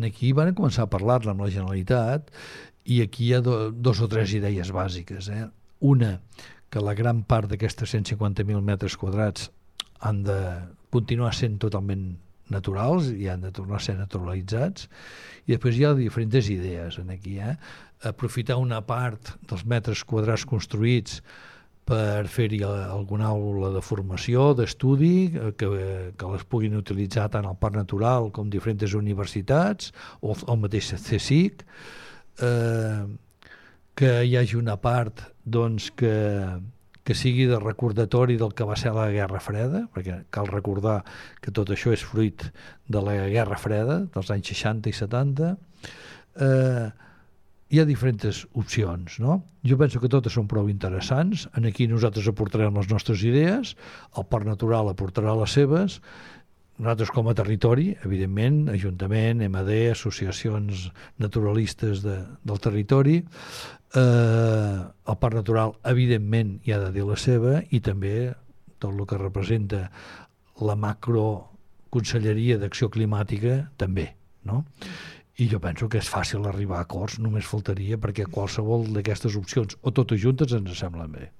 aquí van començar a parlar-ne amb la Generalitat i aquí hi ha dos o tres idees bàsiques. Una, que la gran part d'aquestes 150.000 metres quadrats han de continuar sent totalment naturals i han de tornar a ser naturalitzats, i després hi ha diferents idees aquí. Aprofitar una part dels metres quadrats construïts per fer-hi alguna aula de formació, d'estudi, que les puguin utilitzar tant al Parc Natural com diferents universitats o el mateix CSIC, que hi hagi una part doncs, que sigui de recordatori del que va ser la Guerra Freda, perquè cal recordar que tot això és fruit de la Guerra Freda dels anys 60 i 70. Hi ha diferents opcions, no? Jo penso que totes són prou interessants. Aquí nosaltres aportarem les nostres idees, el Parc Natural aportarà les seves, nosaltres com a territori, evidentment, Ajuntament, MD, associacions naturalistes del territori, el Parc Natural, evidentment, hi ha de dir la seva, i també tot el que representa la macroconselleria d'Acció Climàtica, també, no? I jo penso que és fàcil arribar a acords, només faltaria, perquè qualsevol d'aquestes opcions, o totes juntes, ens semblen bé.